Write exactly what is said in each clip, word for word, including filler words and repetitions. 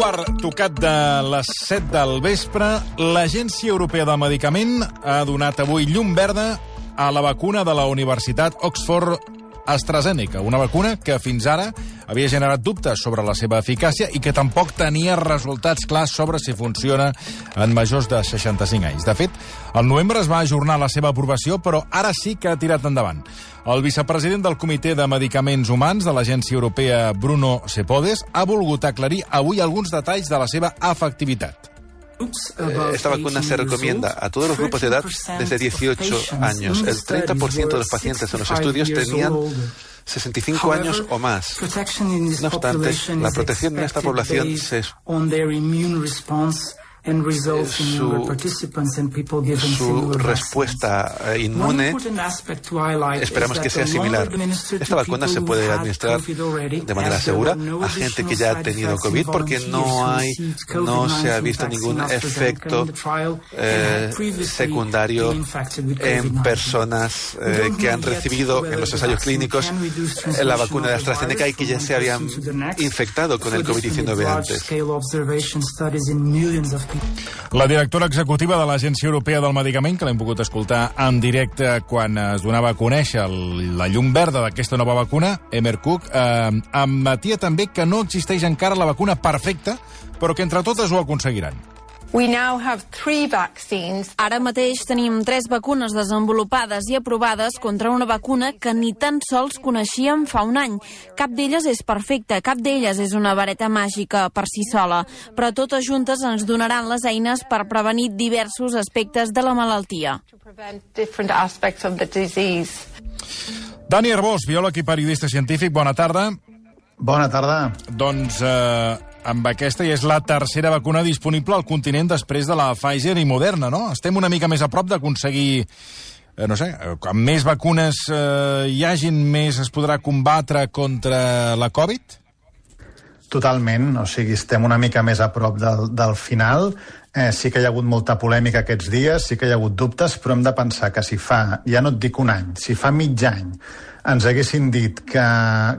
quart tocat de les set del vespre, l'Agència Europea del Medicament ha donat avui llum verda a la vacuna de la Universitat Oxford AstraZeneca, una vacuna que fins ara havia generat dubtes sobre la seva eficàcia i que tampoc tenia resultats clars sobre si funciona en majors de seixanta-cinc anys. De fet, al novembre es va ajornar la seva aprovació, però ara sí que ha tirat endavant. El vicepresident del Comitè de Medicaments Humans de l'Agència Europea, Bruno Sepodes, ha volgut aclarir avui alguns detalls de la seva efectivitat. Esta vacuna se recomienda a todos los grupos de edad desde dieciocho años. El treinta por ciento de los pacientes en los estudios tenían sesenta y cinco años o más. No obstante, la protección en esta población se... Su, su respuesta inmune esperamos que sea similar. Esta vacuna se puede administrar de manera segura a gente que ya ha tenido COVID porque no hay, no se ha visto ningún efecto eh, secundario en personas eh, que han recibido en los ensayos clínicos la vacuna de AstraZeneca y que ya se habían infectado con el COVID diecinueve antes. La directora executiva de l'Agència Europea del Medicament, que l'hem pogut escoltar en directe quan es donava a conèixer la llum verda d'aquesta nova vacuna, Emmer Cook, eh, admetia també que no existeix encara la vacuna perfecta, però que entre totes ho aconseguiran. We now have three vaccines. Ara mateix tenim tres vacunes desenvolupades i aprovades contra una vacuna que ni tan sols coneixíem fa un any. Cap d'elles és perfecta, cap d'elles és una vareta màgica per si sola, però totes juntes ens donaran les eines per prevenir diversos aspectes de la malaltia. Dani Arbós, biòleg i periodista científic, bona tarda. Bona tarda. Doncs eh, amb aquesta ja és la tercera vacuna disponible al continent després de la Pfizer i Moderna, no? Estem una mica més a prop d'aconseguir, eh, no sé, quan més vacunes eh, hi hagin, més es podrà combatre contra la Covid? Totalment, o sigui, estem una mica més a prop del, del final. Eh, sí que hi ha hagut molta polèmica aquests dies, sí que hi ha hagut dubtes, però hem de pensar que si fa, ja no et dic un any, si fa mig any ens haguessin dit que,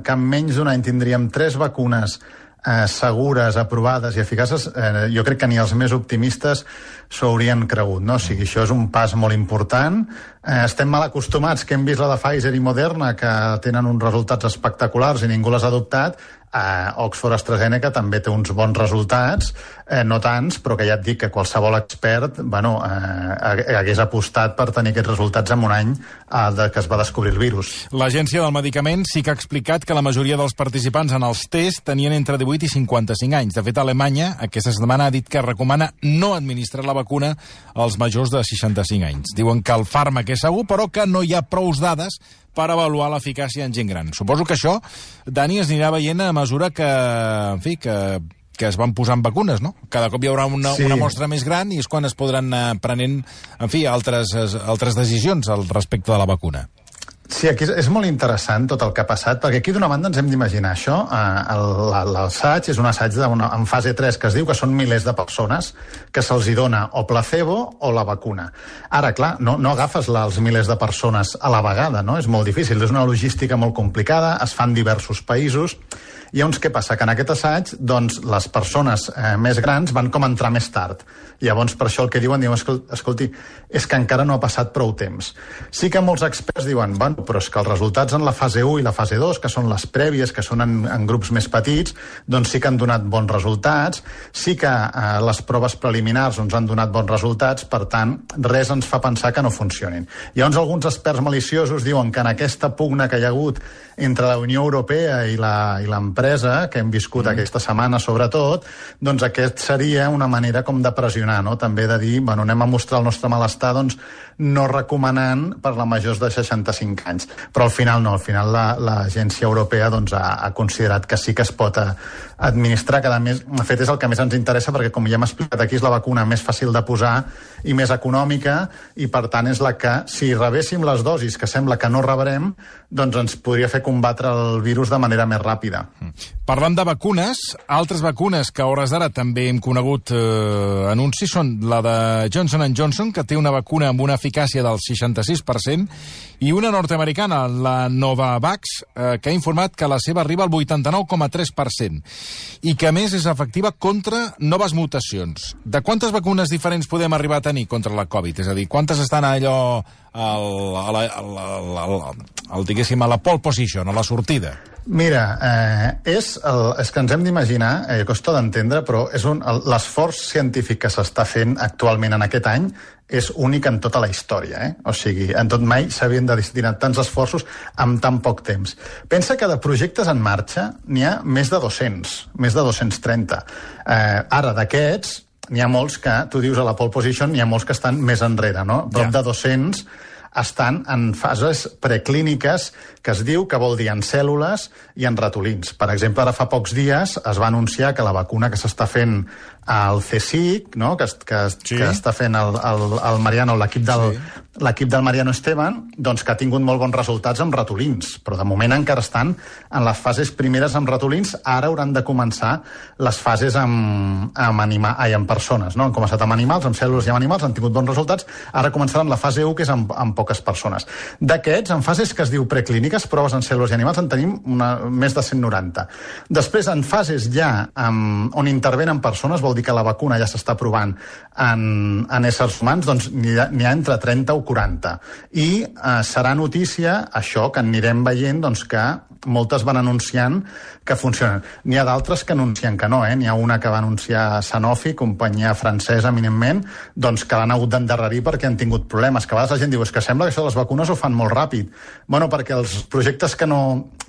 que en menys d'un any tindríem tres vacunes eh, segures, aprovades i eficaces, eh, jo crec que ni els més optimistes s'ho haurien cregut, no? O sigui, això és un pas molt important. Eh, estem mal acostumats, que hem vist la de Pfizer i Moderna, que tenen uns resultats espectaculars i ningú les ha adoptat. Eh, Oxford AstraZeneca també té uns bons resultats, eh, no tants, però que ja et dic que qualsevol expert bueno, eh, hagués apostat per tenir aquests resultats en un any eh, de que es va descobrir el virus. L'Agència del Medicament sí que ha explicat que la majoria dels participants en els tests tenien entre divuit i cinquanta-cinc anys. De fet, Alemanya aquesta setmana ha dit que recomana no administrar la vacuna als majors de seixanta-cinc anys. Diuen que el fàrmac és segur, però que no hi ha prous dades per avaluar l'eficàcia en gent gran. Suposo que això, Dani, es anirà veient a mesura que, en fi, que, que es van posant vacunes, no? Cada cop hi haurà una, sí. una mostra més gran i és quan es podran anar prenent, en fi, altres, altres decisions al respecte de la vacuna. Sí, aquí és molt interessant tot el que ha passat, perquè aquí d'una banda ens hem d'imaginar això. L'assaig és un assaig en fase tres que es diu que són milers de persones que se'ls dona o placebo o la vacuna. Ara, clar, no, no agafes els milers de persones a la vegada, no? És molt difícil, és una logística molt complicada, es fan diversos països. I llavors què passa? Que en aquest assaig doncs, les persones eh, més grans van com a entrar més tard. Llavors per això el que diuen, diuen, escolti, és que encara no ha passat prou temps. Sí que molts experts diuen, bueno, però és que els resultats en la fase u i la fase dos, que són les prèvies, que són en, en grups més petits, doncs sí que han donat bons resultats, sí que eh, les proves preliminars ens han donat bons resultats, per tant, res ens fa pensar que no funcionin. Llavors alguns experts maliciosos diuen que en aquesta pugna que hi ha hagut entre la Unió Europea i la, i l'empresa, que hem viscut mm. aquesta setmana sobretot, doncs aquest seria una manera com de pressionar, no? També de dir, bueno, anem a mostrar el nostre malestar, doncs no recomanant per la majors de seixanta-cinc anys. Però al final no, al final l'Agència Europea doncs, ha, ha considerat que sí que es pot a, administrar, que a més, de fet és el que més ens interessa perquè com ja hem explicat aquí és la vacuna més fàcil de posar i més econòmica i per tant és la que, si rebéssim les dosis que sembla que no rebrem, doncs ens podria fer combatre el virus de manera més ràpida. Parlant de vacunes, altres vacunes que a hores d'ara també hem conegut eh, anuncis són la de Johnson and Johnson, que té una vacuna amb una eficàcia del seixanta-sis per cent, i una nord nord-americana, la Novavax, eh, que ha informat que la seva arriba al vuitanta-nou coma tres per cent i que, a més, és efectiva contra noves mutacions. De quantes vacunes diferents podem arribar a tenir contra la Covid? És a dir, quantes estan allò al, a la, al, al, al, al, diguéssim, a la pole position, a la sortida? Mira, eh, és, el, és que ens hem d'imaginar, eh, costa d'entendre, però és un, l'esforç científic que s'està fent actualment en aquest any és únic en tota la història, eh? O sigui, en tot mai s'havien de destinar tants esforços amb tan poc temps. Pensa que de projectes en marxa n'hi ha més de dos-cents, més de dos-cents trenta. Eh, ara, d'aquests, n'hi ha molts que, tu dius a la pole position, n'hi ha molts que estan més enrere, no? Prop ja. de dos-cents estan en fases preclíniques, que es diu que vol dir en cèl·lules i en ratolins. Per exemple, ara fa pocs dies es va anunciar que la vacuna que s'està fent al CSIC, no? que, que, sí. que està fent el, el, el Mariano, l'equip del, sí. l'equip del Mariano Esteban, doncs que ha tingut molt bons resultats amb ratolins, però de moment encara estan en les fases primeres amb ratolins. Ara hauran de començar les fases amb, amb, anima, ai, amb persones, no? Han començat amb animals, amb cèl·lules i amb animals, han tingut bons resultats. Ara començaran la fase u, que és amb, amb poques persones. D'aquests, en fases que es diu preclíniques, proves en cèl·lules i animals, en tenim una, més de cent noranta. Després, en fases ja amb, on intervenen persones, vol dir que la vacuna ja s'està provant en, en éssers humans, doncs n'hi ha, n'hi ha entre trenta o quaranta. I eh, serà notícia això, que anirem veient doncs, que moltes van anunciant que funcionen. N'hi ha d'altres que anuncien que no, eh? N'hi ha una que va anunciar Sanofi, companyia francesa, eminentment, doncs que l'han hagut d'endarrerir perquè han tingut problemes. Que a vegades la gent diu, és que sembla que això de les vacunes ho fan molt ràpid. Bueno, perquè els projectes que no,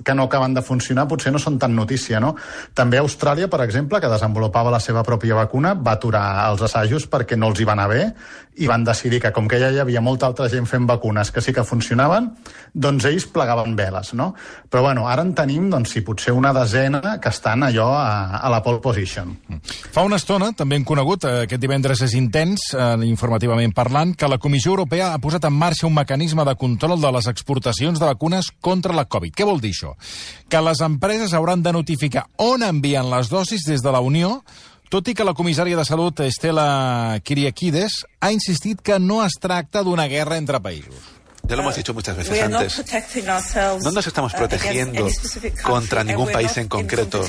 que no acaben de funcionar potser no són tan notícia, no? També Austràlia, per exemple, que desenvolupava la seva pròpia vacuna, va aturar els assajos perquè no els hi va anar bé i van decidir que, com que ja hi havia molta altra gent fent vacunes que sí que funcionaven, doncs ells plegaven veles, no? Però, bueno, ara en tenim, doncs, si potser una desena que estan allò a, a la pole position. Fa una estona, també hem conegut, eh, aquest divendres és intens, eh, informativament parlant, que la Comissió Europea ha posat en marxa un mecanisme de control de les exportacions de vacunes contra la Covid. Què vol dir això? Que les empreses hauran de notificar on envien les dosis des de la Unió, tot i que la comissària de Salut, Estela Kyriakides, ha insistit que no es tracta d'una guerra entre països. Ya lo hemos dicho muchas veces antes. No nos estamos protegiendo contra ningún país en concreto.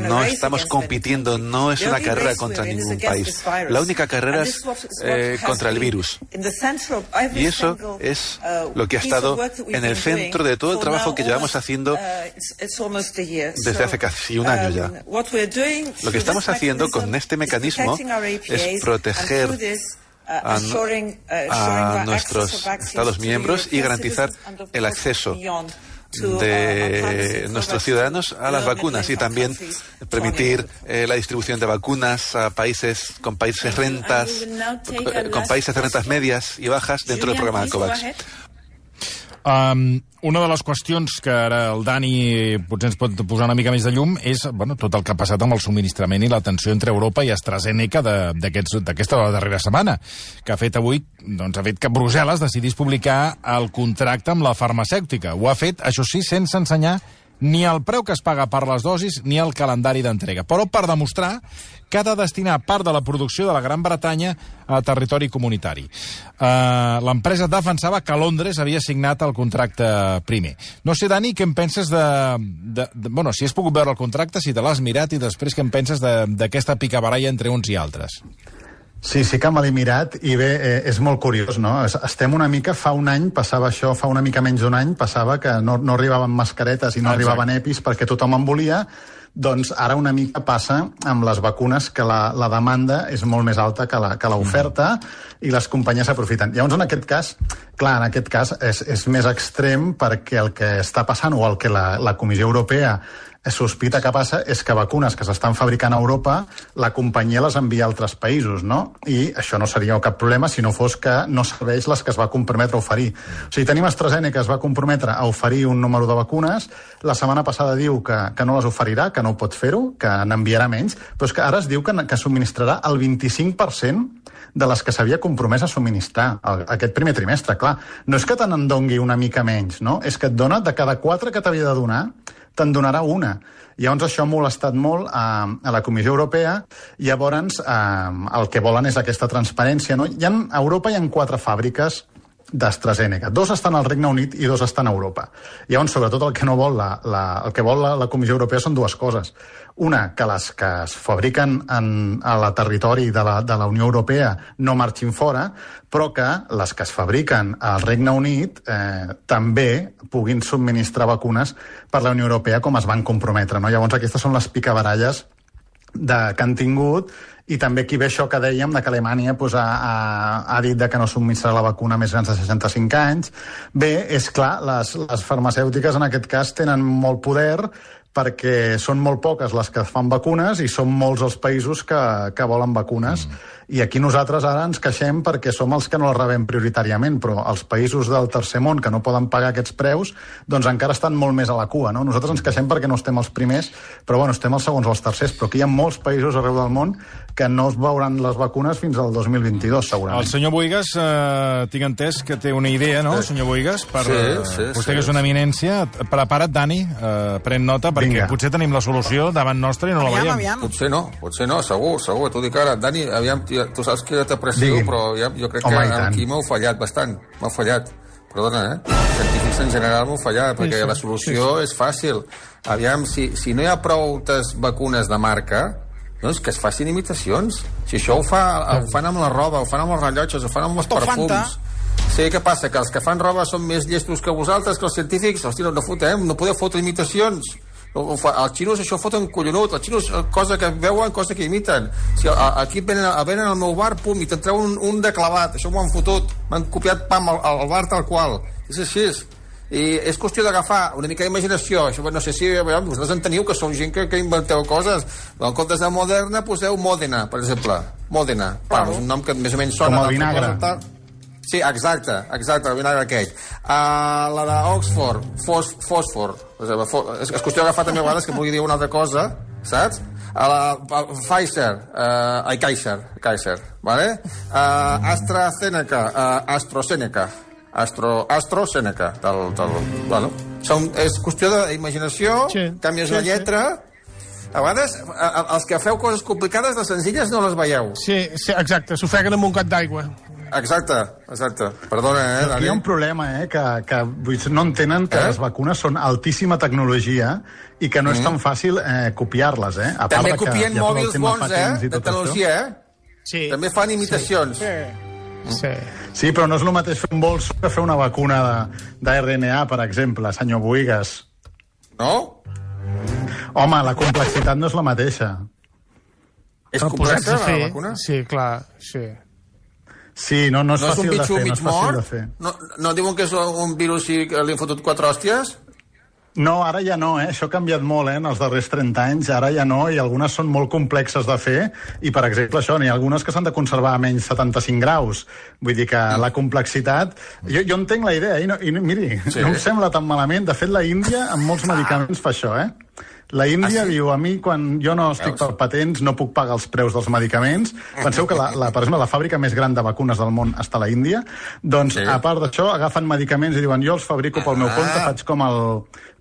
No estamos compitiendo, no es una carrera contra ningún país. La única carrera es eh, contra el virus. Y eso es lo que ha estado en el centro de todo el trabajo que llevamos haciendo desde hace casi un año ya. Lo que estamos haciendo con este mecanismo es proteger A, a nuestros Estados miembros y garantizar el acceso de nuestros ciudadanos a las vacunas y también permitir eh, la distribución de vacunas a países con países rentas, con países de rentas medias y bajas dentro del programa de COVAX. Um, una de les qüestions que ara el Dani potser ens pot posar una mica més de llum és, bueno, tot el que ha passat amb el subministrament i la tensió entre Europa i AstraZeneca d'aquesta darrera setmana, que ha fet avui, doncs ha fet que Brussel·les decidís publicar el contracte amb la farmacèutica. Ho ha fet, això sí, sense ensenyar ni el preu que es paga per les dosis ni el calendari d'entrega, però per demostrar que ha de destinar part de la producció de la Gran Bretanya a territori comunitari. Uh, L'empresa defensava que Londres havia signat el contracte primer. No sé, Dani, què en penses de... de, de bueno, si has pogut veure el contracte, si te l'has mirat, i després què en penses d'aquesta picabaralla entre uns i altres? Sí, sí que me l'he mirat i bé, eh, és molt curiós, no? Estem una mica, fa un any passava això, fa una mica menys d'un any passava que no, no arribaven mascaretes i no Exacte. arribaven epis perquè tothom en volia. Doncs ara una mica passa amb les vacunes que la, la demanda és molt més alta que la, que l'oferta mm. i les companyies s'aprofiten. Llavors, en aquest cas, clar, en aquest cas és, és més extrem perquè el que està passant o el que la, la Comissió Europea sospita que passa és que vacunes que s'estan fabricant a Europa, la companyia les envia a altres països, no? I això no seria cap problema si no fos que no serveix les que es va comprometre a oferir. O sigui, tenim AstraZeneca que es va comprometre a oferir un número de vacunes, la setmana passada diu que, que no les oferirà, que no pot fer-ho, que n'enviarà menys, però és que ara es diu que, que subministrarà el vint-i-cinc per cent de les que s'havia compromès a subministrar el, aquest primer trimestre. Clar, no és que te n'en dongui una mica menys, no? És que et dona de cada quatre que t'havia de donar, te'n donarà una. Llavors això ha molestat molt a, a la Comissió Europea. Llavors eh, el que volen és aquesta transparència, no? Hi ha, a Europa hi ha quatre fàbriques d'AstraZeneca. Dos estan al Regne Unit i dos estan a Europa. Llavors, sobretot, el que no vol la, la, el que vol la, la Comissió Europea són dues coses. Una, que les que es fabriquen en, a la territori de la, de la Unió Europea no marxin fora, però que les que es fabriquen al Regne Unit eh, també puguin subministrar vacunes per la Unió Europea com es van comprometre. No? Llavors, aquestes són les picabaralles de, que han tingut, i també aquí ve això que dèiem de que Alemanya pues, ha, ha, ha dit de que no subministrarà la vacuna a més grans de seixanta-cinc anys. Bé, és clar, les, les farmacèutiques en aquest cas tenen molt poder perquè són molt poques les que fan vacunes i són molts els països que, que volen vacunes. Mm. I aquí nosaltres ara ens queixem perquè som els que no les rebem prioritàriament, però els països del tercer món que no poden pagar aquests preus, doncs encara estan molt més a la cua, no? Nosaltres ens queixem perquè no estem els primers, però bueno, estem els segons o els tercers, però aquí hi ha molts països arreu del món que no es veuran les vacunes fins al dos mil vint-i-dos, segurament. El senyor Boigas, eh, tinc entès que té una idea, no, sí. senyor Boigas? Per, sí, sí, vostè sí, que és una eminència. Prepara't, Dani, eh, pren nota, perquè Vinga. Potser tenim la solució davant nostra i no la aviam, veiem. aviam. Potser no, potser no, segur, segur. T'ho dic ara. Dani, aviam, tu saps que jo t'aprecio, Digui. però ja, jo crec Home, que aquí m'heu fallat bastant. M'heu fallat. Perdona, eh? Els científics en general m'heu fallat, perquè sí, sí, la solució sí, sí. és fàcil. Aviam, si, si no hi ha prou vacunes de marca, doncs que es facin imitacions. Si això ho, fa, ho fan amb la roba, ho fan amb els rellotges, ho fan amb els perfums. Sí, què passa? Que els que fan roba són més llestos que vosaltres, que els científics? Hosti, no, no fotem, no podeu fotre imitacions. Els xinos això foten collonut, els xinos cosa que veuen, cosa que imiten. Si aquí venen, venen al meu bar, pum, i te'n treu un, un de clavat, això m'ho han fotut, m'han copiat pam al, al bar tal qual. És així. I és qüestió d'agafar una mica d'imaginació. Això, no sé si vosaltres en teniu, que sou gent que, que inventeu coses. En comptes de Moderna, poseu Modena, per exemple. Modena. Pam, és un nom que més o menys sona. Com el vinagre. Cosa, sí, exacte, exacte, el vinagre aquell. Uh, la d'Oxford, fos, fòsfor. És, és qüestió d'agafar també a vegades que pugui dir una altra cosa, saps? A la a Pfizer, uh, ai, Kaiser, Kaiser, vale? Uh, AstraZeneca, uh, AstraZeneca, Astro, AstraZeneca, tal, tal, bueno. Són, és qüestió d'imaginació, sí, canvies sí, la lletra... Sí. A vegades, a, a, els que feu coses complicades, les senzilles no les veieu. Sí, sí, exacte, s'ofeguen amb un got d'aigua. Exacte, exacte. Perdona, eh, Dani? Hi ha un problema, eh, que, que no entenen que eh? les vacunes són altíssima tecnologia i que no mm. és tan fàcil eh, copiar-les, eh? A També part copien que mòbils bons, eh, de tecnologia, eh? Sí. També fan imitacions. Sí. Sí. Sí. Sí, però no és el mateix fer un bols que fer una vacuna d'R N A, per exemple, senyor Boigas. No? Home, la complexitat no és la mateixa. És complexa, la vacuna? Sí, clar, sí. Sí, no, no és no fàcil és de fer, no és fàcil de fer. No, no diuen que és un virus i li han fotut quatre hòsties? No, ara ja no, eh? Això ha canviat molt, eh? En els darrers trenta anys, ara ja no, i algunes són molt complexes de fer, i, per exemple, això, n'hi ha algunes que s'han de conservar a menys setanta-cinc graus. Vull dir que mm. la complexitat... Jo, jo entenc la idea, i, no, i miri, sí. no em sembla tan malament. De fet, la Índia, amb molts medicaments, fa això, eh? La Índia ah, sí? diu, a mi, quan jo no estic per patents, no puc pagar els preus dels medicaments. Penseu que, la, la, per exemple, la fàbrica més gran de vacunes del món està a la Índia. Doncs, sí. a part d'això, agafen medicaments i diuen, jo els fabrico pel meu compte, faig com el,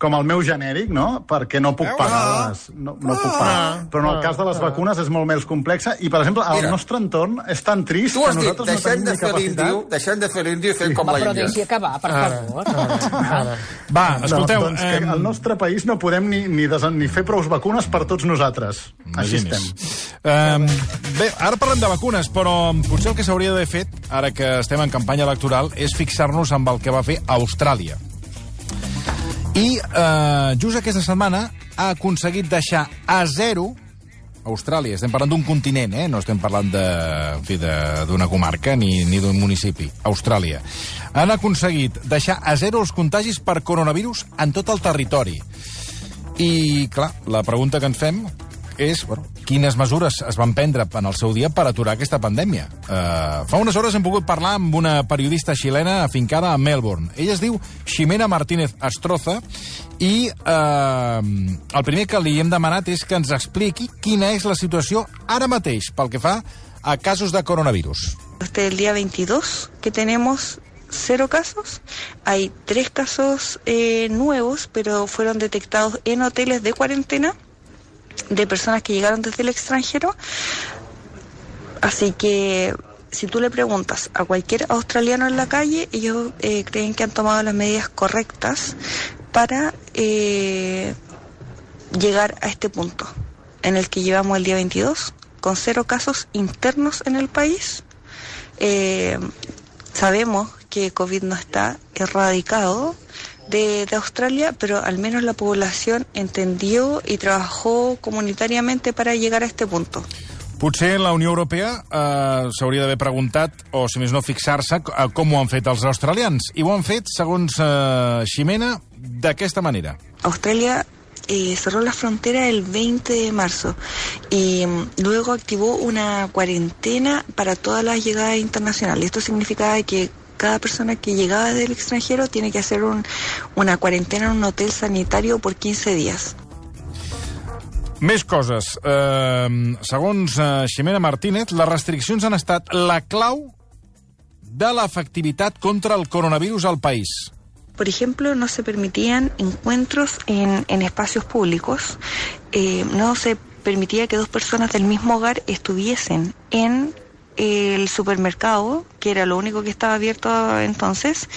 com el meu genèric, no?, perquè no puc pagar-les. No, no puc pagar. Però en el cas de les vacunes és molt més complexa i, per exemple, el Mira, nostre entorn és tan trist que nosaltres dit, no tenim de ni capacitat. Deixem de fer l'índio i fem sí. com la Índia. Però deixi acabar, per favor. Va, escolteu... No, doncs que al nostre país no podem ni, ni, desen, ni fer prou vacunes per tots nosaltres. Així estem. Um, bé, ara parlem de vacunes, però potser el que s'hauria d'haver fet, ara que estem en campanya electoral, és fixar-nos amb el que va fer Austràlia. I uh, just aquesta setmana ha aconseguit deixar a zero Austràlia. Estem parlant d'un continent, eh? No estem parlant de, en fi, d'una comarca ni, ni d'un municipi. Austràlia. Han aconseguit deixar a zero els contagis per coronavirus en tot el territori. I, clar, la pregunta que ens fem és, bueno, quines mesures es van prendre en el seu dia per aturar aquesta pandèmia. Uh, fa unes hores hem pogut parlar amb una periodista xilena afincada a Melbourne. Ella es diu Ximena Martínez Astroza i uh, el primer que li hem demanat és que ens expliqui quina és la situació ara mateix pel que fa a casos de coronavirus. Desde el día veintidós que tenemos cero casos, hay tres casos eh, nuevos, pero fueron detectados en hoteles de cuarentena de personas que llegaron desde el extranjero, así que si tú le preguntas a cualquier australiano en la calle, ellos eh, creen que han tomado las medidas correctas para eh, llegar a este punto en el que llevamos el día veintidós, con cero casos internos en el país. Eh, sabemos que COVID no está erradicado de, de Australia, pero al menos la población entendió i trabajó comunitàriament para llegar a este punto. Potser la Unió Europea eh, s'hauria d'haver preguntat, o si més no fixar-se, a com ho han fet els australians. I ho han fet, segons eh, Ximena, d'aquesta manera. Australia eh, cerró la frontera el veinte de marzo y luego activó una cuarentena para todas las llegadas internacionales. Esto significaba que cada persona que llegaba del extranjero tiene que hacer un, una cuarentena en un hotel sanitario por quince días. Més coses. Eh, segons eh, Ximena Martínez, les restriccions han estat la clau de l'efectivitat contra el coronavirus al país. Por ejemplo, no se permitían encuentros en, en espacios públicos. Eh, no se permitía que dos personas del mismo hogar estuviesen en el supermercado, que era lo único que estaba abierto entonces.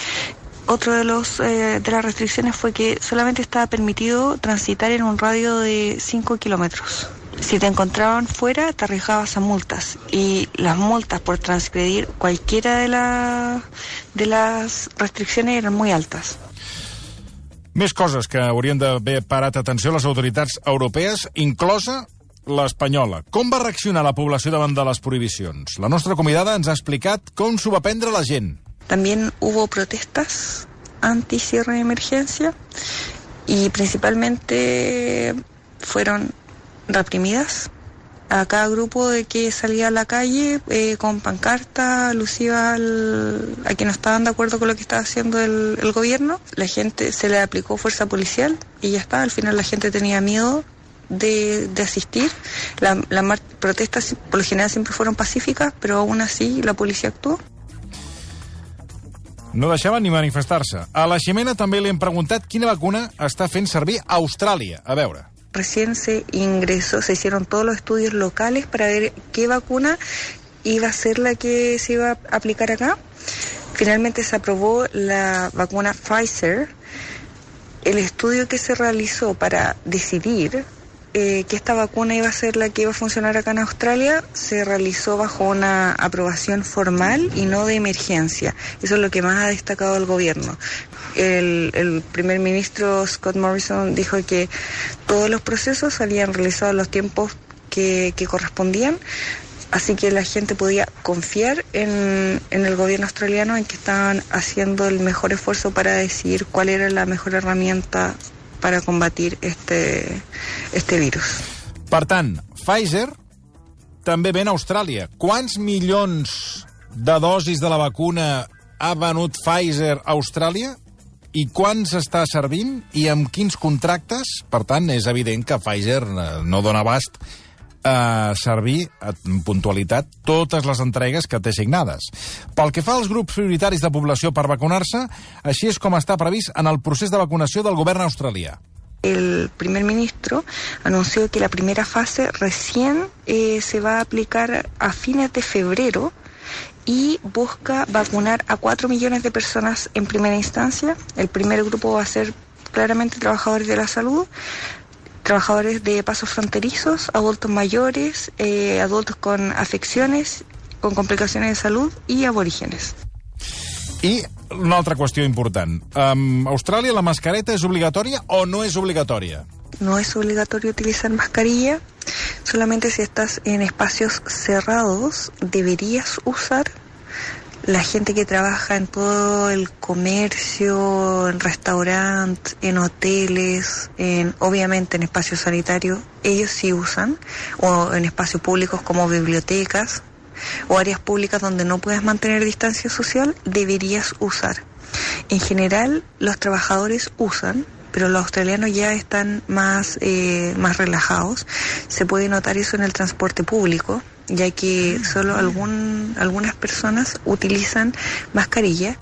Otro de los eh, de las restricciones fue que solamente estaba permitido transitar en un radio de cinco kilómetros. Si te encontraban fuera, te arriesgabas a multas. Y las multas por transgredir cualquiera de, la, de las restricciones eran muy altas. Més coses que haurien d'haver parat atenció a les autoritats europees, inclosa l'espanyola. Com va reaccionar la població davant de les prohibicions? La nostra convidada ens ha explicat com s'ho va prendre la gent. También hubo protestas anti-cierre de emergencia y principalmente fueron reprimidas. A cada grupo de que salía a la calle eh, con pancarta alusiva al, a que no estaban de acuerdo con lo que estaba haciendo el, el gobierno, la gente se le aplicó fuerza policial y ya está. Al final la gente tenía miedo de, de asistir. Las la protestas por lo general siempre fueron pacíficas, pero aún así la policía actuó. No deixaven ni manifestar-se. A la Ximena també li hem preguntat quina vacuna està fent servir a Austràlia. A veure. Recién se ingresó, se hicieron todos los estudios locales para ver qué vacuna iba a ser la que se iba a aplicar acá. Finalmente se aprobó la vacuna Pfizer. El estudio que se realizó para decidir Eh, que esta vacuna iba a ser la que iba a funcionar acá en Australia se realizó bajo una aprobación formal y no de emergencia. Eso es lo que más ha destacado el gobierno. El, el primer ministro Scott Morrison dijo que todos los procesos habían realizado en los tiempos que, que correspondían, así que la gente podía confiar en, en el gobierno australiano, en que estaban haciendo el mejor esfuerzo para decidir cuál era la mejor herramienta para combatir este, este virus. Per tant, Pfizer també ven a Austràlia. Quants milions de dosis de la vacuna ha venut Pfizer a Austràlia? I quants està servint? I amb quins contractes? Per tant, és evident que Pfizer no dona abast a servir en puntualitat totes les entregues que té signades. Pel que fa als grups prioritaris de població per vacunar-se, així és com està previst en el procés de vacunació del govern australià. El primer ministro anunció que la primera fase recién eh, se va a aplicar a fines de febrero y busca vacunar a cuatro millones de personas en primera instancia. El primer grupo va a ser claramente trabajadores de la salud, trabajadores de pasos fronterizos, adultos mayores, eh, adultos con afecciones, con complicaciones de salud y aborígenes. I una altra qüestió important. Um, Austràlia, la mascareta és obligatòria o no és obligatòria? No es obligatorio utilizar mascarilla, solamente si estás en espacios cerrados deberías usar. La gente que trabaja en todo el comercio, en restaurantes, en hoteles, en, obviamente en espacios sanitarios, ellos sí usan, o en espacios públicos como bibliotecas o áreas públicas donde no puedes mantener distancia social, deberías usar. En general, los trabajadores usan, pero los australianos ya están más, eh, más relajados. Se puede notar eso en el transporte público, ya que solo algún, algunas personas utilizan mascarilla.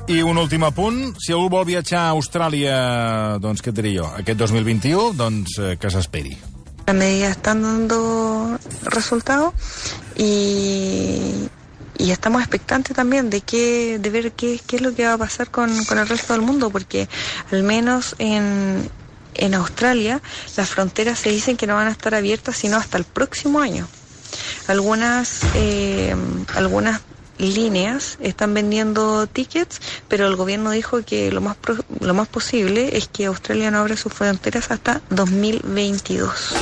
I un últim apunt, si algú vol viatjar a Austràlia, doncs què et diré jo, aquest dos mil vint-i-u, doncs eh, que s'esperi. Las medidas están dando resultados y y estamos expectantes también de qué, de ver qué, qué es lo que va a pasar con, con el resto del mundo, porque al menos en, en Australia las fronteras se dicen que no van a estar abiertas sino hasta el próximo año. Algunas, eh, algunas líneas están vendiendo tickets, però el gobierno dijo que lo más, pro, lo más posible es que Australia no abra sus fronteras hasta dos mil veintidós.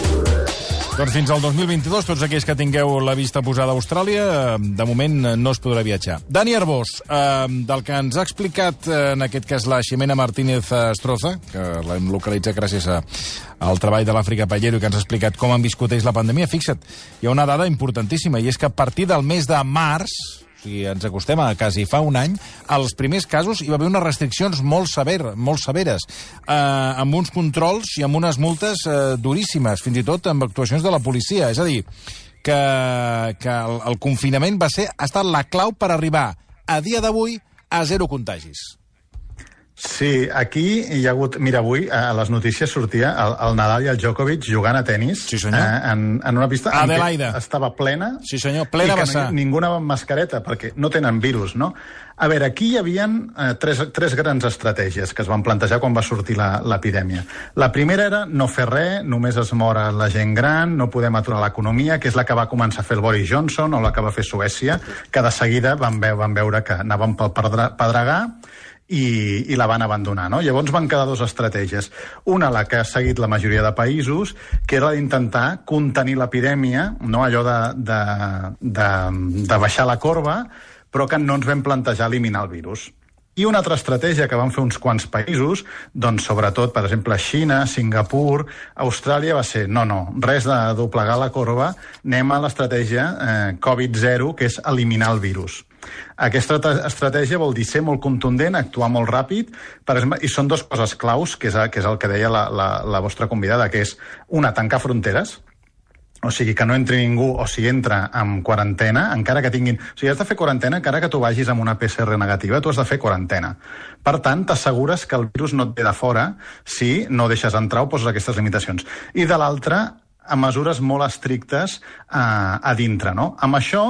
Doncs fins al dos mil vint-i-dos, tots aquells que tingueu la vista posada a Austràlia, de moment no es podrà viatjar. Dani Arbós, eh, del que ens ha explicat, en aquest cas, la Ximena Martínez Estroza, que l'hem localitzat gràcies a, al treball de l'Àfrica Pallero i que ens ha explicat com han viscut ells la pandèmia, fixa't, hi ha una dada importantíssima, i és que a partir del mes de març, o sigui, ens acostem a quasi fa un any, als primers casos hi va haver unes restriccions molt, sever, molt severes, eh, amb uns controls i amb unes multes eh, duríssimes, fins i tot amb actuacions de la policia. És a dir, que, que el, el confinament va ser, ha estat la clau per arribar, a dia d'avui, a zero contagis. Sí, aquí hi ha hagut... Mira, avui a les notícies sortia el, el Nadal i el Djokovic jugant a tenis, sí, senyor. eh, en, en una pista Adelaida. En què estava plena, sí, senyor, plena i que vessar. Ningú anava amb mascareta, perquè no tenen virus, no? A veure, aquí hi havia eh, tres, tres grans estratègies que es van plantejar quan va sortir l'epidèmia. La primera era no fer res, només es mor la gent gran, no podem aturar l'economia, que és la que va començar a fer el Boris Johnson o la que va fer Suècia, que de seguida van, ve van veure que anaven pel pedregar, I, i la van abandonar, no? Llavors van quedar dues estratègies. Una, la que ha seguit la majoria de països, que era d'intentar contenir l'epidèmia, no? Allò de, de, de, de baixar la corba, però que no ens vam plantejar eliminar el virus. I una altra estratègia que van fer uns quants països, doncs sobretot, per exemple, Xina, Singapur, Austràlia, va ser, no, no, res de doblegar la corba, anem a l'estratègia eh, covid zero, que és eliminar el virus. Aquesta estratègia vol dir ser molt contundent, actuar molt ràpid, per exemple, i són dues coses claus, que és, que és el que deia la, la, la vostra convidada, que és, una, tancar fronteres, o sigui, que no entri ningú, o si entra amb quarantena, encara que tinguin... O sigui, has de fer quarantena, encara que tu vagis amb una P C R negativa, tu has de fer quarantena. Per tant, t'assegures que el virus no et ve de fora si no deixes entrar o poses aquestes limitacions. I de l'altra, a mesures molt estrictes a, a dintre, no? Amb això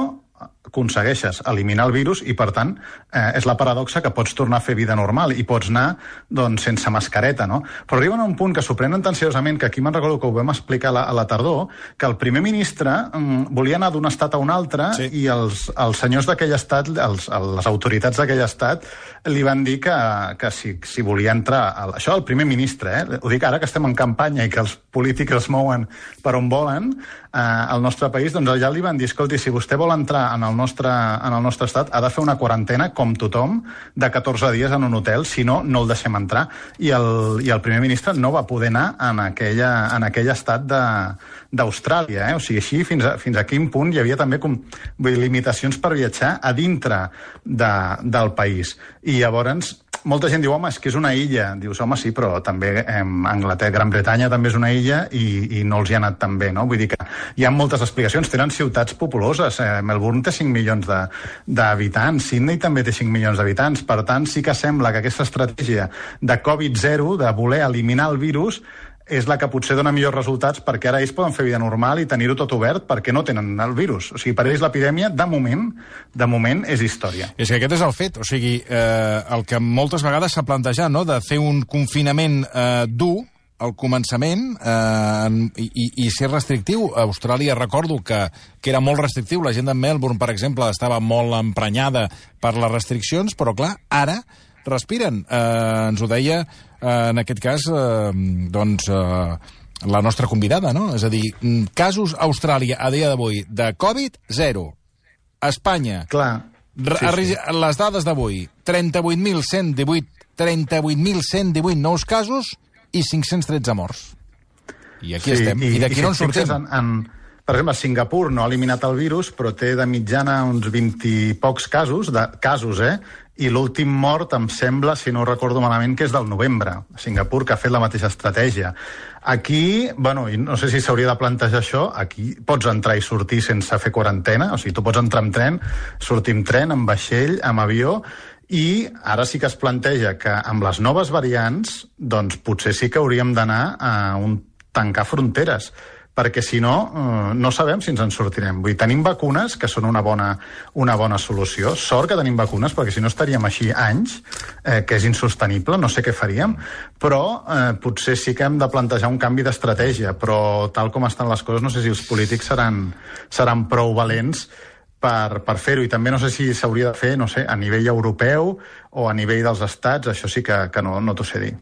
aconsegueixes eliminar el virus i, per tant, eh, és la paradoxa que pots tornar a fer vida normal i pots anar, doncs, sense mascareta, no? Però arriben a un punt que s'ho prenen tan seriosament que aquí me'n recordo que ho vam explicar a la, a la tardor, que el primer ministre mm, volia anar d'un estat a un altre sí. i els, els senyors d'aquell estat, els, les autoritats d'aquell estat, li van dir que, que si, si volia entrar... A, això el primer ministre, eh? Ho dic ara que estem en campanya i que els polítics es mouen per on volen, eh, al nostre país, doncs allà li van dir, escolti, si vostè vol entrar en el nostre, en el nostre estat, ha de fer una quarantena, com tothom, de catorze dies en un hotel, si no, no el deixem entrar. I el, i el primer ministre no va poder anar en, aquella, en aquell estat d'Austràlia. Eh? O sigui, així, fins a, fins a quin punt hi havia també com, vull dir, limitacions per viatjar a dintre de, del país. I llavors, molta gent diu, home, és que és una illa. Dius, home, sí, però també eh, Anglaterra, Gran Bretanya també és una illa i, i no els hi ha anat tan bé, no? Vull dir que hi ha moltes explicacions. Tenen ciutats populoses. Eh, Melbourne té cinc milions d'habitants, Sydney també té cinc milions d'habitants. Per tant, sí que sembla que aquesta estratègia de covid zero, de voler eliminar el virus, és la que potser dona millors resultats perquè ara ells poden fer vida normal i tenir-ho tot obert perquè no tenen el virus. O sigui, per ells l'epidèmia, de moment, de moment és història. És que aquest és el fet. O sigui, eh, el que moltes vegades s'ha plantejat, no?, de fer un confinament eh, dur al començament eh, i, i ser restrictiu. A Austràlia recordo que, que era molt restrictiu. La gent de Melbourne, per exemple, estava molt emprenyada per les restriccions, però clar, ara respiren. Eh, ens ho deia, eh, en aquest cas, eh, doncs, eh, la nostra convidada, no? És a dir, casos a Austràlia a dia d'avui de Covid, zero. A Espanya, clar. Sí, sí. Les dades d'avui, trenta-vuit mil cent divuit trenta-vuit mil cent divuit nous casos i cinc-cents tretze morts. I aquí sí, estem. I, I d'aquí no en sortim. En, en, per exemple, Singapur no ha eliminat el virus, però té de mitjana uns vint i pocs casos, de casos, eh? I l'últim mort, em sembla, si no ho recordo malament, que és del novembre. Singapur, que ha fet la mateixa estratègia. Aquí, bueno, no sé si s'hauria de plantejar això, aquí pots entrar i sortir sense fer quarantena, o sigui, tu pots entrar amb tren, sortir amb tren, amb vaixell, amb avió, i ara sí que es planteja que amb les noves variants, doncs potser sí que hauríem d'anar a un tancar fronteres, perquè si no, eh, no sabem si ens en sortirem. Vull dir, tenim vacunes, que són una bona, una bona solució. Sort que tenim vacunes, perquè si no estaríem així anys, eh, que és insostenible, no sé què faríem, però eh, potser sí que hem de plantejar un canvi d'estratègia, però tal com estan les coses, no sé si els polítics seran, seran prou valents per, per fer-ho, i també no sé si s'hauria de fer, no sé, a nivell europeu o a nivell dels estats, això sí que, que no, no t'ho sé dir.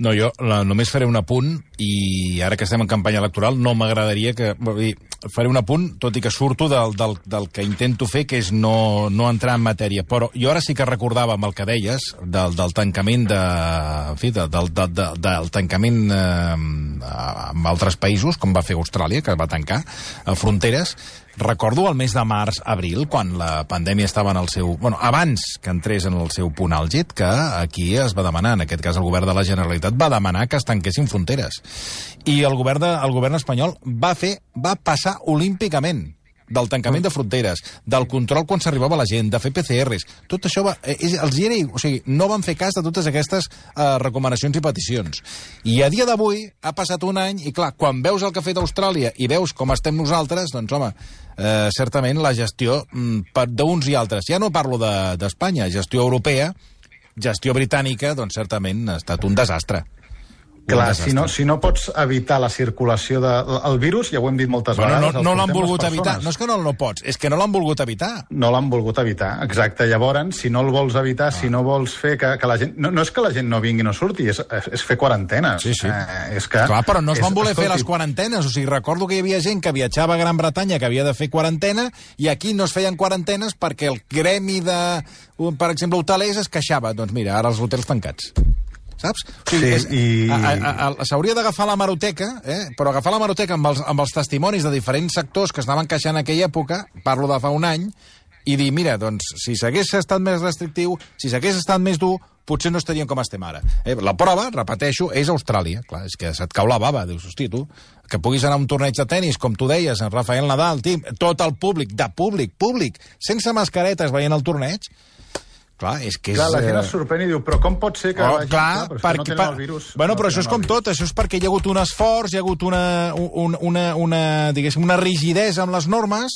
No, jo la, només faré un apunt, i ara que estem en campanya electoral no m'agradaria que... Vull dir, faré un apunt, tot i que surto del, del, del que intento fer, que és no, no entrar en matèria, però jo ara sí que recordava amb el que deies, del, del tancament de... En fi, de, del, de, de, del tancament eh, amb altres països, com va fer Austràlia, que va tancar a fronteres. Recordo el mes de març-abril, quan la pandèmia estava en el seu... Bueno, abans que entrés en el seu punt àlgid, que aquí es va demanar, en aquest cas el govern de la Generalitat, va demanar que es tanquessin fronteres. I el govern, de, el govern espanyol va fer, va passar olímpicament del tancament de fronteres, del control quan s'arribava la gent, de fer P C Rs. Tot això va, eh, els hi era, o sigui, no van fer cas de totes aquestes eh, recomanacions i peticions. I a dia d'avui ha passat un any i, clar, quan veus el que ha fet Austràlia i veus com estem nosaltres, doncs, home, eh, certament la gestió mm, d'uns i altres, ja no parlo d'Espanya, de, gestió europea, gestió britànica, doncs certament ha estat un desastre. Clar, si no, si no pots evitar la circulació del virus, ja ho hem dit moltes bueno, vegades... No, no l'han volgut evitar. No és que no, no pots, és que no l'han volgut evitar. No l'han volgut evitar, exacte. Llavors, si no el vols evitar, ah. si no vols fer que, que la gent... No, no és que la gent no vingui i no surti, és, és fer quarantenes. Sí, sí. Eh, és que, clar, però no es van és, voler escolti... fer les quarantenes. O sigui, recordo que hi havia gent que viatjava a Gran Bretanya que havia de fer quarantena i aquí no es feien quarantenes perquè el gremi de, per exemple, hotelers es queixava. Doncs mira, ara els hotels tancats. Saps? O sigui, sí, i... s'hauria d'agafar la hemeroteca, eh? però agafar la hemeroteca amb els, amb els testimonis de diferents sectors que es anaven queixant en aquella època, parlo de fa un any, i dir, mira, doncs, si s'hagués estat més restrictiu, si s'hagués estat més dur, potser no estaríem com estem ara. Eh? La prova, repeteixo, és Austràlia. Clar, és que se't cau la bava. Dius, hosti, tu, que puguis anar a un torneig de tennis, com tu deies, en Rafael Nadal, tim, tot el públic, de públic, públic, sense mascaretes veient el torneig. Clar, és que és... Clar, la gent es sorprèn i diu, però com pot ser que oh, vagi... clar, clar, perquè, no tenen el virus. Bueno, no però això és com tot, això és perquè hi ha hagut un esforç, hi ha hagut una, una, una, una, diguéssim, una rigidesa amb les normes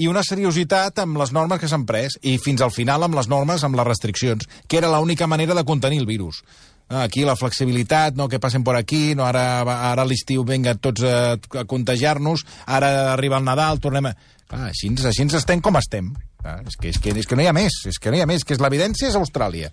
i una seriositat amb les normes que s'han pres, i fins al final amb les normes, amb les restriccions, que era l'única manera de contenir el virus. Aquí la flexibilitat, no, que passen per aquí, no, ara, ara a l'estiu venga tots a, a contagiar-nos, ara arriba el Nadal, tornem a... Clar, així, així ens estem com estem. Ah, és, que, és, que, és que no hi ha més, és que no hi ha més, que és l'evidència és Austràlia.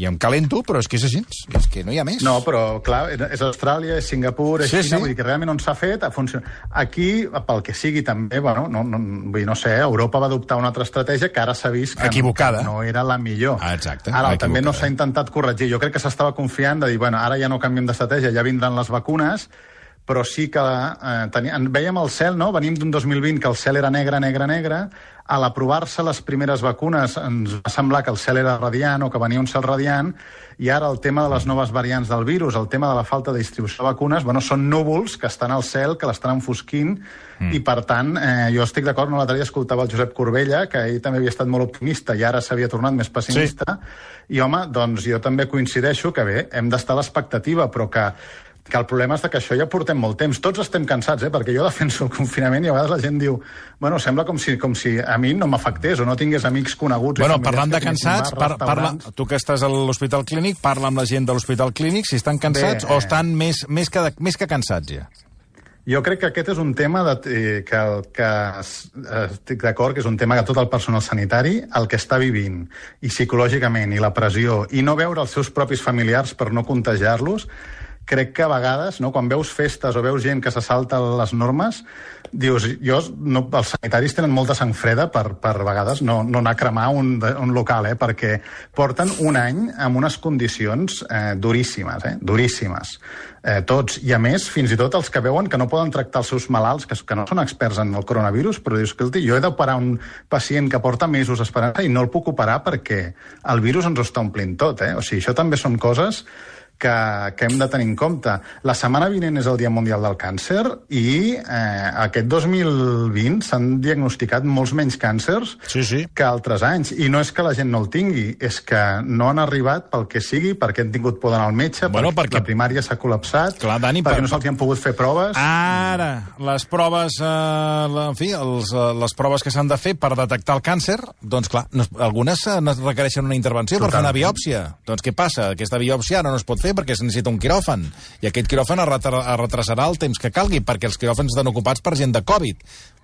I em calento, però és que és així, és que no hi ha més. No, però clar, és Austràlia, és Singapur, és sí, Xina, sí. Vull dir que realment on s'ha fet, ha funcionat. Aquí, pel que sigui també, bueno, no, no, vull dir, no sé, Europa va adoptar una altra estratègia que ara s'ha vist que equivocada. No, no era la millor. Ah, exacte. Ara equivocada. També no s'ha intentat corregir. Jo crec que s'estava confiant de dir, bueno, ara ja no canviem d'estratègia, ja vindran les vacunes, però sí que eh, tenia, veiem el cel, no? Venim d'un dos mil vint que el cel era negre, negre, negre. A l'aprovar-se les primeres vacunes ens va semblar que el cel era radiant o que venia un cel radiant, i ara el tema de les noves variants del virus, el tema de la falta de distribució de vacunes, bueno, són núvols que estan al cel, que l'estan enfosquint, mm. i per tant, eh, jo estic d'acord, no, l'altre dia escoltava el Josep Corbella, que ell també havia estat molt optimista i ara s'havia tornat més pessimista, sí. I home, doncs jo també coincideixo que bé, hem d'estar a l'expectativa, però que que el problema és que això ja portem molt temps. Tots estem cansats, eh? Perquè jo defenso el confinament i a vegades la gent diu, bueno, sembla com si, com si a mi no m'afectés o no tingués amics coneguts. Bueno, parlant de cansats, par parla, tu que estàs a l'Hospital Clínic, parla amb la gent de l'Hospital Clínic si estan cansats bé, o estan més, més, que, més que cansats ja. Jo crec que aquest és un tema de, eh, que, que estic d'acord que és un tema que tot el personal sanitari el que està vivint, i psicològicament, i la pressió, i no veure els seus propis familiars per no contagiar-los, crec que a vegades, no, quan veus festes o veus gent que se salta les normes, dius, jo, no, els sanitaris tenen molta sang freda per, per vegades no, no anar a cremar un, un local, eh, perquè porten un any amb unes condicions eh, duríssimes, eh, duríssimes. Eh, tots, i a més, fins i tot els que veuen que no poden tractar els seus malalts, que, que no són experts en el coronavirus, però dius, escolti, jo he d'operar un pacient que porta mesos esperant i no el puc operar perquè el virus ens ho està omplint tot, eh? O sigui, això també són coses que, que hem de tenir en compte. La setmana vinent és el Dia Mundial del Càncer i eh, aquest dos mil vint s'han diagnosticat molts menys càncers sí, sí. que altres anys. I no és que la gent no el tingui, és que no han arribat pel que sigui, perquè han tingut por d'anar al metge, bueno, perquè, perquè la primària s'ha col·lapsat, clar, Dani, perquè per... no se'ls han pogut fer proves. Ara, les proves, eh, en fi, els, les proves que s'han de fer per detectar el càncer, doncs clar, no, algunes no requereixen una intervenció Total. per fer una biòpsia. Doncs què passa? Aquesta biòpsia ara no es pot fer perquè es necessita un quiròfan. I aquest quiròfan es retrasarà el temps que calgui, perquè els quiròfans estan ocupats per gent de Covid.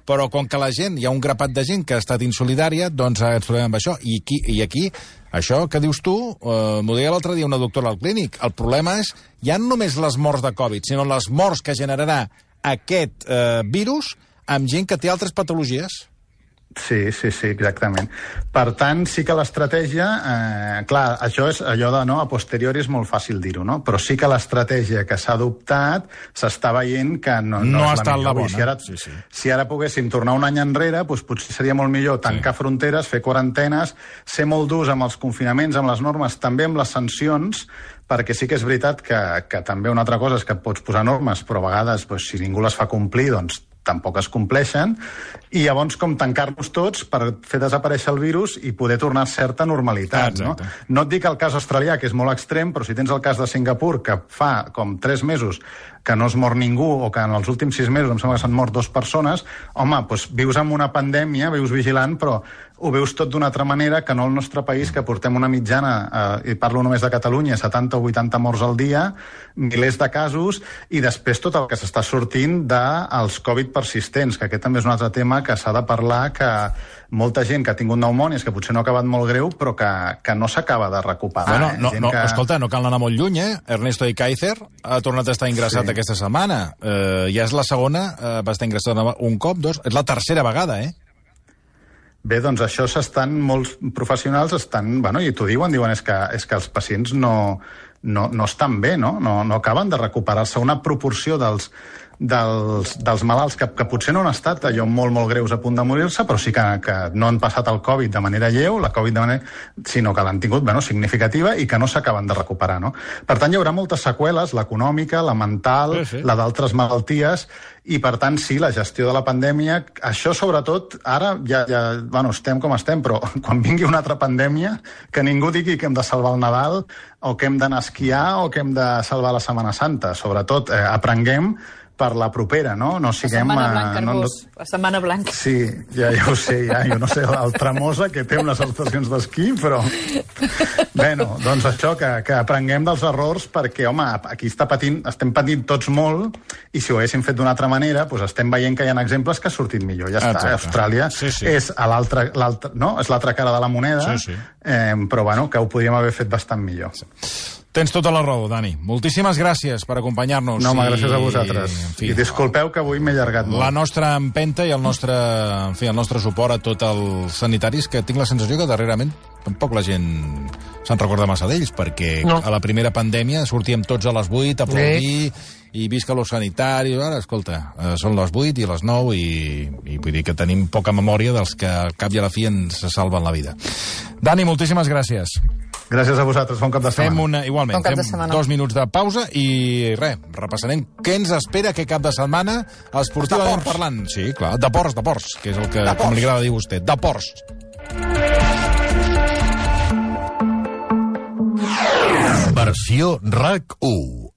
Però com que la gent, hi ha un grapat de gent que ha estat insolidària, doncs ens trobem amb això. I aquí, i aquí això que dius tu, eh, m'ho deia l'altre dia una doctora al clínic, el problema és, ja no només les morts de Covid, sinó les morts que generarà aquest eh, virus amb gent que té altres patologies. Sí, sí, sí, exactament. Per tant, sí que l'estratègia... Eh, clar, això és allò de, no, a posteriori és molt fàcil dir-ho, no? Però sí que l'estratègia que s'ha adoptat s'està veient que no, no, no és ha estat la bona. Si ara, sí, sí. si ara poguéssim tornar un any enrere, doncs potser seria molt millor tancar sí. fronteres, fer quarantenes, ser molt durs amb els confinaments, amb les normes, també amb les sancions, perquè sí que és veritat que, que també una altra cosa és que pots posar normes, però a vegades, doncs, si ningú les fa complir, doncs tampoc es compleixen, i llavors com tancar-nos tots per fer desaparèixer el virus i poder tornar a certa normalitat. Ah, no? no et dic el cas australià, que és molt extrem, però si tens el cas de Singapur, que fa com tres mesos que no es mor ningú, o que en els últims sis mesos em sembla que s'han mort dues persones, home, doncs vius amb una pandèmia, vius vigilant, però ho veus tot d'una altra manera que no el nostre país, que portem una mitjana, eh, i parlo només de Catalunya, setanta o vuitanta morts al dia, milers de casos, i després tot el que s'està sortint dels Covid persistents, que aquest també és un altre tema que s'ha de parlar, que molta gent que ha tingut pneumònies, que potser no ha acabat molt greu, però que, que no s'acaba de recuperar. Bueno, no, eh? no, que... Escolta, no cal anar molt lluny, eh? Ernesto Ikaizer ha tornat a estar ingressat sí. aquesta setmana. Eh, ja és la segona, eh, va estar ingressat un cop, dos, és la tercera vegada, eh? Bé, doncs això s'estan, molts professionals estan, bueno, i t'ho diuen, diuen és que, és que els pacients no, no, no estan bé, no? No, no acaben de recuperar-se. Una proporció dels, dels, dels malalts que, que potser no han estat allò molt, molt greus a punt de morir-se, però sí que, que no han passat el Covid de manera lleu, la Covid de manera... sinó que l'han tingut, bueno, significativa i que no s'acaben de recuperar, no? Per tant, hi haurà moltes seqüeles, l'econòmica, la mental, sí, sí. la d'altres malalties, i per tant, sí, la gestió de la pandèmia, això sobretot, ara ja, ja bueno, estem com estem, però quan vingui una altra pandèmia, que ningú digui que hem de salvar el Nadal, o que hem d'anar a esquiar, o que hem de salvar la Setmana Santa. Sobretot, eh, aprenguem per la propera, no? No siguem... La Setmana Blanca, no, no... La Setmana Blanca. Sí, ja, ja ho sé, ja, jo no sé, el Tremosa, que té unes estacions d'esquí, però... Bueno, doncs això, que, que aprenguem dels errors, perquè, home, aquí està patint, estem patint tots molt, i si ho haguéssim fet d'una altra manera, doncs estem veient que hi ha exemples que ha sortit millor. Ja està, Exacte. Austràlia sí, sí. és a l'altra, no? És l'altra cara de la moneda, sí, sí. Eh, però, bueno, que ho podríem haver fet bastant millor. Sí. Tens tota la raó, Dani. Moltíssimes gràcies per acompanyar-nos. No, home, gràcies a vosaltres. I, fi, I disculpeu que avui m'he allargat molt. La nostra empenta i el nostre, en fi, el nostre suport a tots els sanitaris, que tinc la sensació que darrerament tampoc la gent se'n recorda massa d'ells, perquè no. a la primera pandèmia sortíem tots a les vuit a aplaudir sí. i visca los sanitaris. Ara, escolta, eh, són les vuit i les nou i, i vull dir que tenim poca memòria dels que al cap i a la fi ens salven la vida. Dani, moltíssimes gràcies. Gràcies a vosaltres, bon cap de setmana. Fem una, igualment, fem dos minuts de pausa i res, repassarem què ens espera aquest cap de setmana esportivament parlant. Sí, clar, de ports, de ports, que és el que, com li agrada dir a vostè, de ports. Versió R A C u.